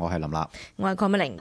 我係林立，我係鄺美玲。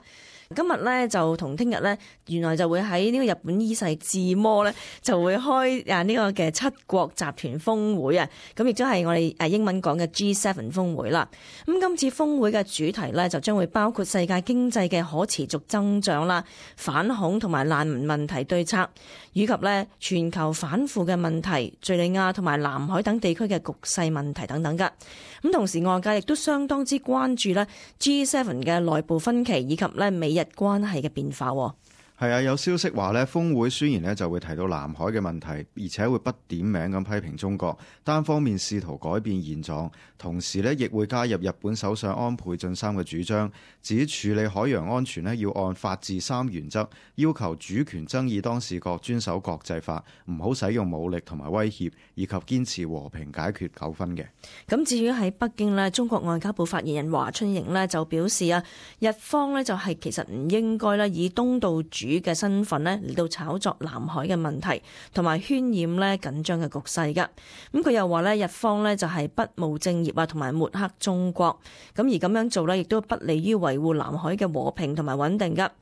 今日咧就同聽日咧，原來就會喺呢個日本伊勢志摩咧就會開呢個嘅七國集團峰會啊，咁亦都係我哋英文講嘅 G7 峰會啦。咁今次峰會嘅主題咧就將會包括世界經濟嘅可持續增長啦、反恐同埋難民問題對策，以及咧全球反腐嘅問題、敘利亞同埋南海等地區嘅局勢問題等等噶。咁同時外界亦都相當之關注咧 G7 嘅內部分歧以及咧美日關係嘅變化。係啊，有消息話呢，峰會宣言呢就會提到南海嘅問題，而且會不點名咁批評中國單方面試圖改變現狀，同時呢亦會加入日本首相安倍晉三嘅主張，指處理海洋安全呢要按法治三原則，要求主權爭議當事國遵守國際法，唔好使用武力同埋威脅，以及堅持和平解決糾紛嘅。咁至於喺北京呢，中國外交部發言人華春瑩呢就表示啊，日方呢就係其實唔應該咧以東道主嘅身份咧嚟到炒作南海嘅問題，同埋渲染咧緊張嘅局勢噶。咁佢又話咧，日方咧就係不務正業啊，同埋抹黑中國。咁而咁樣做咧，亦都不利於維護南海嘅和平同埋穩定噶。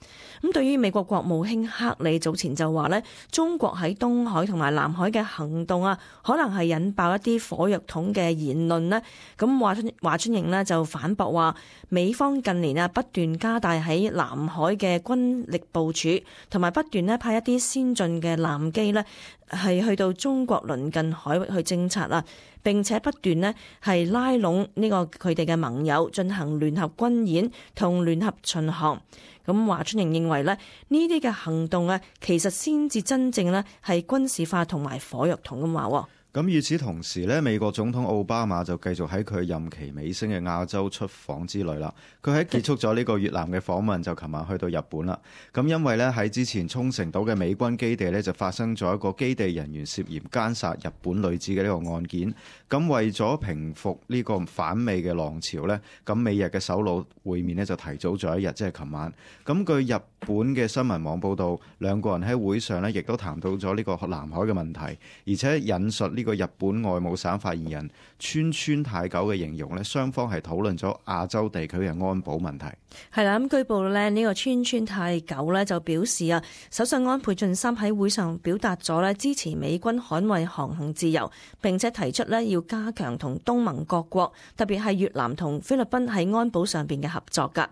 咁對於美國國務卿克里早前就話咧，中國喺東海同埋南海嘅行動啊，可能係引爆一啲火藥桶嘅言論咧。咁華春瑩咧就反駁話，美方近年啊不斷加大喺南海嘅軍力部署，同埋不斷咧派一啲先進嘅艦機咧係去到中國鄰近海域去偵察啊，並且不斷咧係拉攏呢個佢哋嘅盟友進行聯合軍演同聯合巡航。咁華春瑩認為咧，呢啲嘅行動啊，其實先至真正咧係軍事化同埋火藥桶咁話。咁與此同時呢，美國總統奧巴馬就繼續喺佢任期尾聲嘅亞洲出訪之旅啦。佢喺結束咗呢個越南嘅訪問，就琴晚去到日本啦。咁因為呢，喺之前沖繩島嘅美軍基地呢，就發生咗一個基地人員涉嫌姦殺日本女子嘅呢個案件。咁為咗平復呢個反美嘅浪潮呢，咁美日嘅首腦會面呢，就提早咗一日，即係琴晚。咁據日本嘅新聞網報道，兩個人喺會上呢，亦都談到咗呢個南海嘅問題，而且引述呢個日本外務省發言人川太久嘅形容呢，雙方係討論咗亞洲地區嘅安保問題。係啦，咁據報呢，呢個川太久呢就表示啊，首相安倍晉三喺會上表達咗呢支持美軍捍衛航行自由，並且提出呢要加強同東盟各國，特別係越南同菲律賓喺安保上邊嘅合作㗎。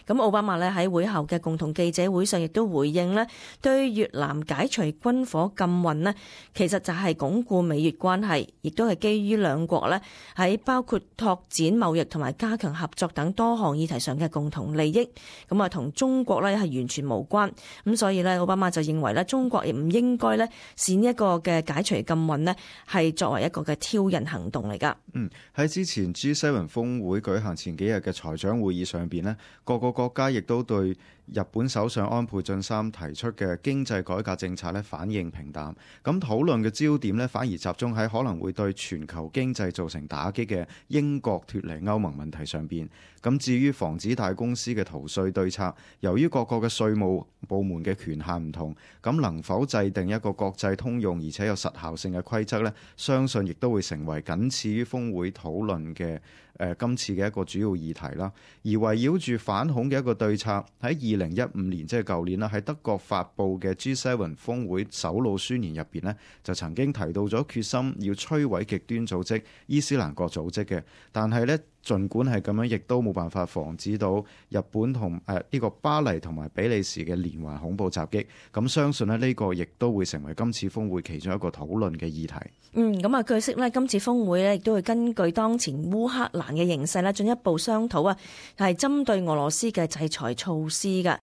咁奧巴馬呢喺會後嘅共同記者會上亦都回應呢，對越南解除軍火禁運呢，其實就係鞏固美越關係，亦都係基於兩國呢喺包括拓展貿易同埋加強合作等多項議題上嘅共同利益。咁啊，同中國呢係完全無關。咁所以呢，奧巴馬就認為呢，中國亦唔應該呢視呢一個嘅解除禁運呢係作為一個嘅挑釁行動嚟㗎。喺之前 G7 峰會舉行前幾日嘅財長會議上邊呢，各個國家亦都對日本首相安倍晉三提出嘅經濟改革政策呢反應平淡。咁討論嘅焦點呢，反而集中喺可能會對全球經濟造成打擊嘅英國脫離歐盟問題上邊。咁至於防止大公司嘅逃稅對策，由於各國嘅稅務部門嘅權限唔同，咁能否制定一個國際通用而且有實效性嘅規則呢？相信亦都會成為僅次於峰會討論嘅今次嘅一個主要議題啦。而圍繞住反恐嘅一個對策，喺2015年即係舊年啦，喺德國發布嘅 G7 峰會首腦宣言入邊呢，就曾經提到咗決心要摧毀極端組織伊斯蘭國組織嘅，但係呢，儘管係咁樣，亦都冇辦法防止到日本同呢個巴黎同埋比利時嘅連環恐怖襲擊。咁相信呢個亦都會成為今次峰會其中一個討論嘅議題。咁啊，據悉呢，今次峰會呢亦都會根據當前烏克蘭嘅形勢呢進一步商討啊，係針對俄羅斯嘅制裁措施㗎。